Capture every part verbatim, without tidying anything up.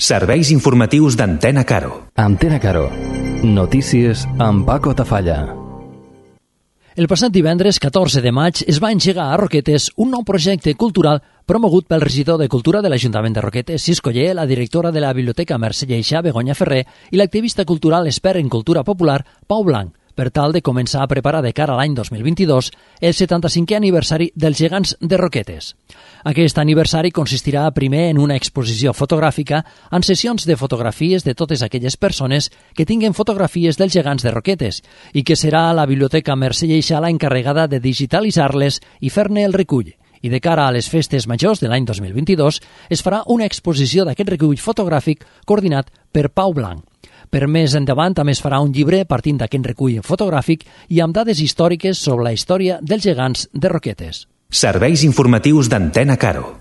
Serveis informatius d'Antena Caro. Antena Caro. Notícies amb Paco Tafalla. El passat divendres catorze de maig es va engegar a Roquetes un nou projecte cultural promogut pel regidor de Cultura de l'Ajuntament de Roquetes, Cisco Ller, la directora de la Biblioteca Mercè Lleixà, Begoña Ferrer, i l'activista cultural expert en cultura popular, Pau Blanc, per tal de començar a preparar de cara a l'any dos mil vint-i-dos el setanta-cinquè aniversari dels Gegants de Roquetes. Aquest aniversari consistirà primer en una exposició fotogràfica amb sessions de fotografies de totes aquelles persones que tinguen fotografies dels Gegants de Roquetes i que serà la Biblioteca Mercè Lleixà la encarregada de digitalitzar-les i fer-ne el recull. I de cara a les festes majors de l'any dos mil vint-i-dos es farà una exposició d'aquest recull fotogràfic coordinat per Pau Blanc. Per més endavant també es farà un llibre partint d'aquest recull fotogràfic i amb dades històriques sobre la història dels Gegants de Roquetes. Serveis informatius d'Antena Caro.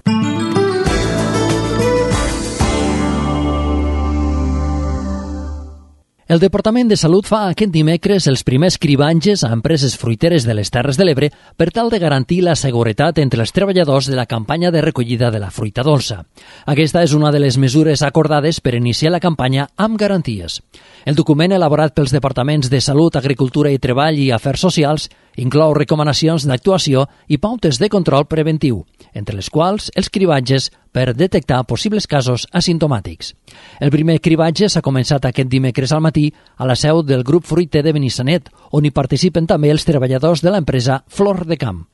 El Departament de Salut fa aquest dimecres els primers cribatges a empreses fruiteres de les Terres de l'Ebre per tal de garantir la seguretat entre els treballadors de la campanya de recollida de la fruita dolça. Aquesta és una de les mesures acordades per iniciar la campanya amb garanties. El document elaborat pels Departaments de Salut, Agricultura i Treball i Afers Socials inclou recomanacions d'actuació i pautes de control preventiu, entre les quals els cribatges per detectar possibles casos asimptomàtics. El primer cribatge s'ha començat aquest dimecres al matí a la seu del grup fruiter de Benissanet, on hi participen també els treballadors de l'empresa Flor de Camp.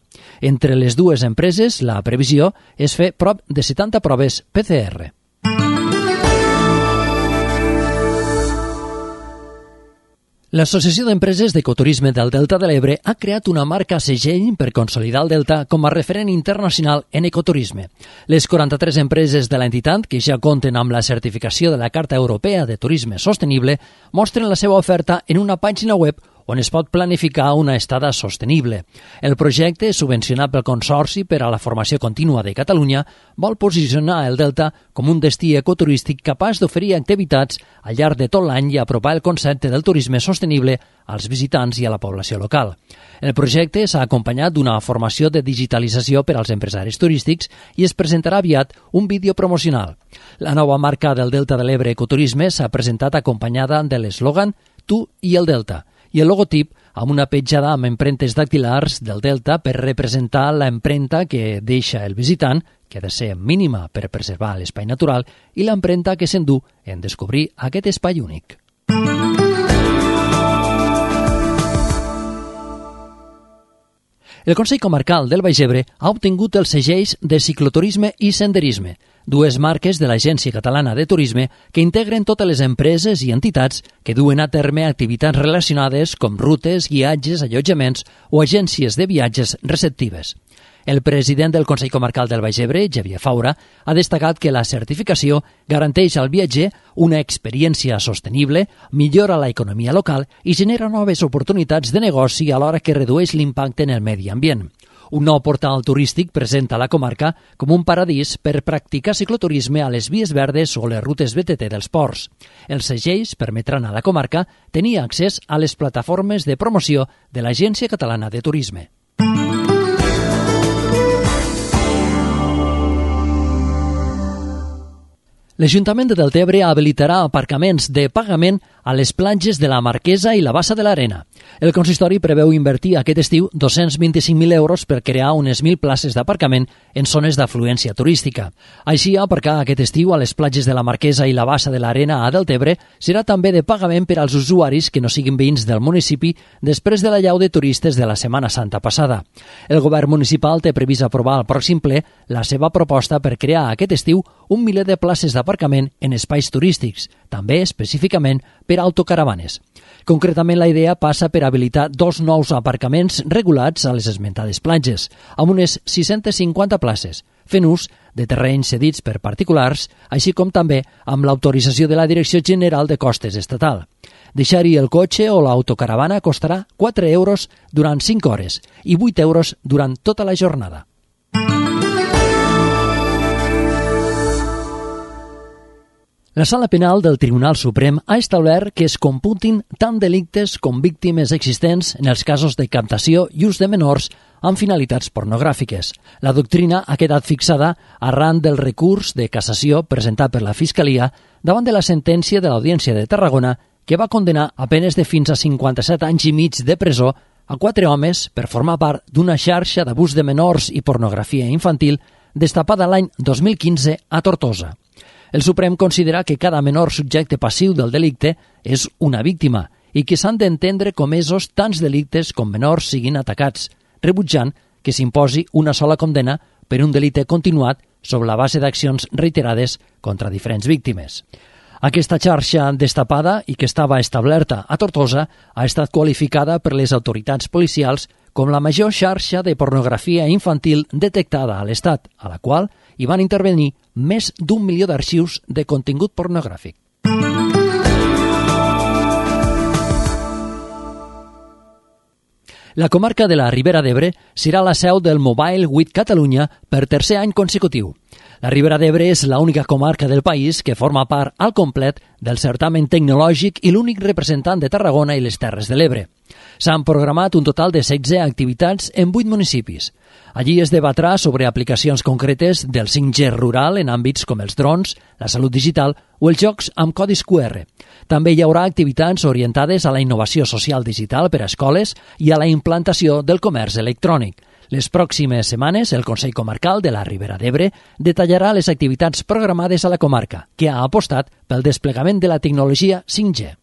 Entre les dues empreses, la previsió és fer prop de setanta proves P C R. L'Associació d'Empreses d'Ecoturisme del Delta de l'Ebre ha creat una marca segell per consolidar el Delta com a referent internacional en ecoturisme. Les quaranta-tres empreses de l'entitat, que ja compten amb la certificació de la Carta Europea de Turisme Sostenible, mostren la seva oferta en una pàgina web on es pot planificar una estada sostenible. El projecte, subvencionat pel Consorci per a la Formació Contínua de Catalunya, vol posicionar el Delta com un destí ecoturístic capaç d'oferir activitats al llarg de tot l'any i apropar el concepte del turisme sostenible als visitants i a la població local. El projecte s'ha acompanyat d'una formació de digitalització per als empresaris turístics i es presentarà aviat un vídeo promocional. La nova marca del Delta de l'Ebre Ecoturisme s'ha presentat acompanyada de l'eslògan «Tu i el Delta», i el logotip amb una petjada amb empremtes dactilars del Delta per representar l'empremta que deixa el visitant, que ha de ser mínima per preservar l'espai natural, i l'empremta que s'endú en descobrir aquest espai únic. El Consell Comarcal del Baix Ebre ha obtingut els segells de cicloturisme i senderisme, dues marques de l'Agència Catalana de Turisme que integren totes les empreses i entitats que duen a terme activitats relacionades com rutes, guiatges, allotjaments o agències de viatges receptives. El president del Consell Comarcal del Baix Ebre, Xavier Faura, ha destacat que la certificació garanteix al viatger una experiència sostenible, millora la economia local i genera noves oportunitats de negoci alhora que redueix l'impacte en el medi ambient. Un nou portal turístic presenta la comarca com un paradís per practicar cicloturisme a les vies verdes o les rutes B T T dels ports. Els segells permetran a la comarca tenir accés a les plataformes de promoció de l'Agència Catalana de Turisme. L'Ajuntament de Deltebre habilitarà aparcaments de pagament a les platges de la Marquesa i la Bassa de l'Arena. El consistori preveu invertir aquest estiu dos-cents vint-i-cinc mil euros per crear unes mil places d'aparcament en zones d'afluència turística. Així, aparcar aquest estiu a les platges de la Marquesa i la Bassa de l'Arena a Deltebre serà també de pagament per als usuaris que no siguin veïns del municipi després de l'allau de turistes de la Setmana Santa passada. El govern municipal té previst aprovar al pròxim ple la seva proposta per crear aquest estiu un miler de places d'aparcament en espais turístics, també específicament per autocaravanes. Concretament, la idea passa per habilitar dos nous aparcaments regulats a les esmentades platges, amb unes sis-centes cinquanta places, fent ús de terrenys cedits per particulars, així com també amb l'autorització de la Direcció General de Costes Estatal. Deixar-hi el cotxe o l'autocaravana costarà quatre euros durant cinc hores i vuit euros durant tota la jornada. La Sala Penal del Tribunal Suprem ha establert que es computin tant delictes com víctimes existents en els casos de captació i ús de menors amb finalitats pornogràfiques. La doctrina ha quedat fixada arran del recurs de cassació presentat per la Fiscalia davant de la sentència de l'Audiència de Tarragona que va condenar a penes de fins a cinquanta-set anys i mig de presó a quatre homes per formar part d'una xarxa d'abús de menors i pornografia infantil destapada l'any dos mil quinze a Tortosa. El Suprem considera que cada menor subjecte passiu del delicte és una víctima i que s'han d'entendre comesos tants delictes com menors siguin atacats, rebutjant que s'imposi una sola condena per un delicte continuat sobre la base d'accions reiterades contra diferents víctimes. Aquesta xarxa destapada i que estava establerta a Tortosa ha estat qualificada per les autoritats policials com la major xarxa de pornografia infantil detectada a l'Estat, a la qual hi van intervenir més d'un milió d'arxius de contingut pornogràfic. La comarca de la Ribera d'Ebre serà la seu del Mobile Week Catalunya per tercer any consecutiu. La Ribera d'Ebre és l'única comarca del país que forma part al complet del certamen tecnològic i l'únic representant de Tarragona i les Terres de l'Ebre. S'han programat un total de setze activitats en vuit municipis. Allí es debatrà sobre aplicacions concretes del cinc G rural en àmbits com els drons, la salut digital o els jocs amb codis Q R. També hi haurà activitats orientades a la innovació social digital per a escoles i a la implantació del comerç electrònic. Les pròximes setmanes, el Consell Comarcal de la Ribera d'Ebre detallarà les activitats programades a la comarca, que ha apostat pel desplegament de la tecnologia cinc G.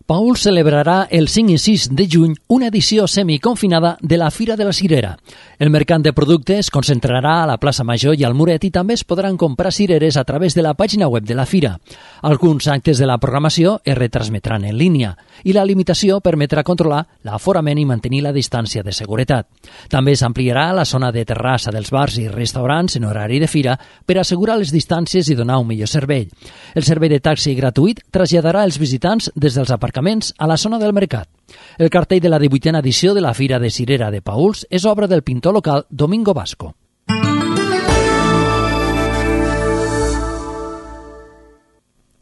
Paüls celebrarà el cinc i sis de juny una edició semiconfinada de la Fira de la Cirera. El mercat de productes es concentrarà a la plaça Major i al Muret i també es podran comprar cireres a través de la pàgina web de la Fira. Alguns actes de la programació es retransmetran en línia i la limitació permetrà controlar l'aforament i mantenir la distància de seguretat. També s'ampliarà la zona de terrassa dels bars i restaurants en horari de fira per assegurar les distàncies i donar un millor servei. El servei de taxi gratuït traslladarà els visitants des dels aparcaments a la zona del mercat. El cartell de la divuitena edició de la Fira de Cirera de Paüls és obra del pintor local Domingo Vasco.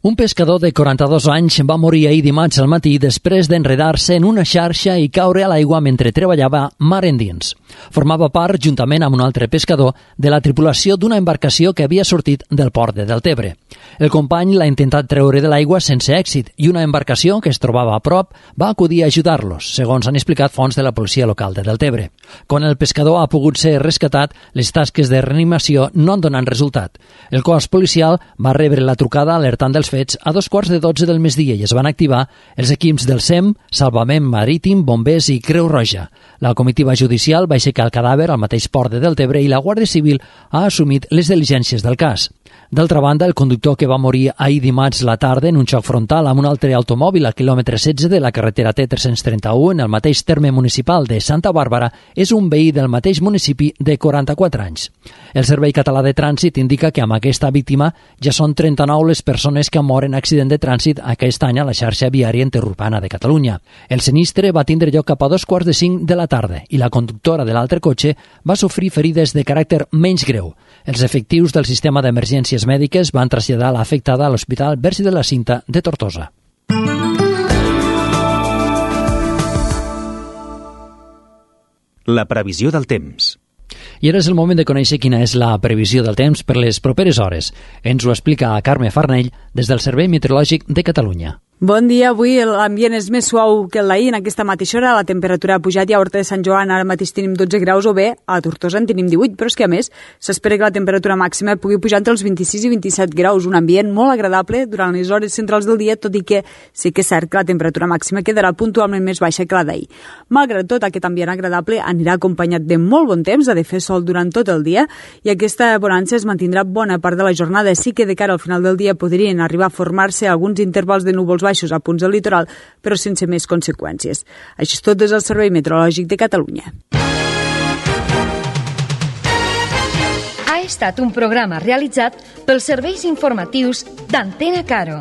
Un pescador de quaranta-dos anys va morir ahir dimarts al matí després d'enredar-se en una xarxa i caure a l'aigua mentre treballava mar endins. Formava part, juntament amb un altre pescador, de la tripulació d'una embarcació que havia sortit del port de Deltebre. El company l'ha intentat treure de l'aigua sense èxit i una embarcació que es trobava a prop va acudir a ajudar-los, segons han explicat fonts de la policia local de Deltebre. Quan el pescador ha pogut ser rescatat, les tasques de reanimació no han donat resultat. El cos policial va rebre la trucada alertant dels fets a dos quarts de dotze del migdia i es van activar els equips del S E M, Salvament Marítim, Bombers i Creu Roja. La comitiva judicial va aixecar el cadàver al mateix port de Deltebre i la Guàrdia Civil ha assumit les diligències del cas. D'altra banda, el conductor que va morir ahir dimarts la tarda en un xoc frontal amb un altre automòbil al quilòmetre setze de la carretera T tres-cents trenta-u en el mateix terme municipal de Santa Bàrbara és un veí del mateix municipi de quaranta-quatre anys. El Servei Català de Trànsit indica que amb aquesta víctima ja són trenta-nou les persones que moren en accident de trànsit aquest any a la xarxa viària interurbana de Catalunya. El sinistre va tindre lloc cap a dos quarts de cinc de la tarda i la conductora de l'altre cotxe va sofrir ferides de caràcter menys greu. Els efectius del sistema d'emergències mèdiques van traslladar l'afectada a l'Hospital Verge de la Cinta de Tortosa. La previsió del temps. I ara és el moment de conèixer quina és la previsió del temps per les properes hores. Ens ho explica Carme Farnell des del Servei Meteorològic de Catalunya. Bon dia, avui l'ambient és més suau que l'ahir. En aquesta mateixa hora la temperatura ha pujat i a Horta de Sant Joan ara mateix tenim dotze graus o bé a Tortosa en tenim divuit, però és que a més s'espera que la temperatura màxima pugui pujar entre els vint-i-sis i vint-i-set graus, un ambient molt agradable durant les hores centrals del dia, tot i que sí que és cert que la temperatura màxima quedarà puntualment més baixa que la d'ahir. Malgrat tot, aquest ambient agradable anirà acompanyat de molt bon temps, ha de fer sol durant tot el dia i aquesta bonança es mantindrà bona part de la jornada. Sí que de cara al final del dia podrien arribar a formar-se alguns intervals de núvols baixos a punts del litoral, però sense més conseqüències. Això és tot des del Servei Meteorològic de Catalunya. Ha estat un programa realitzat pels serveis informatius d'Antena Caro.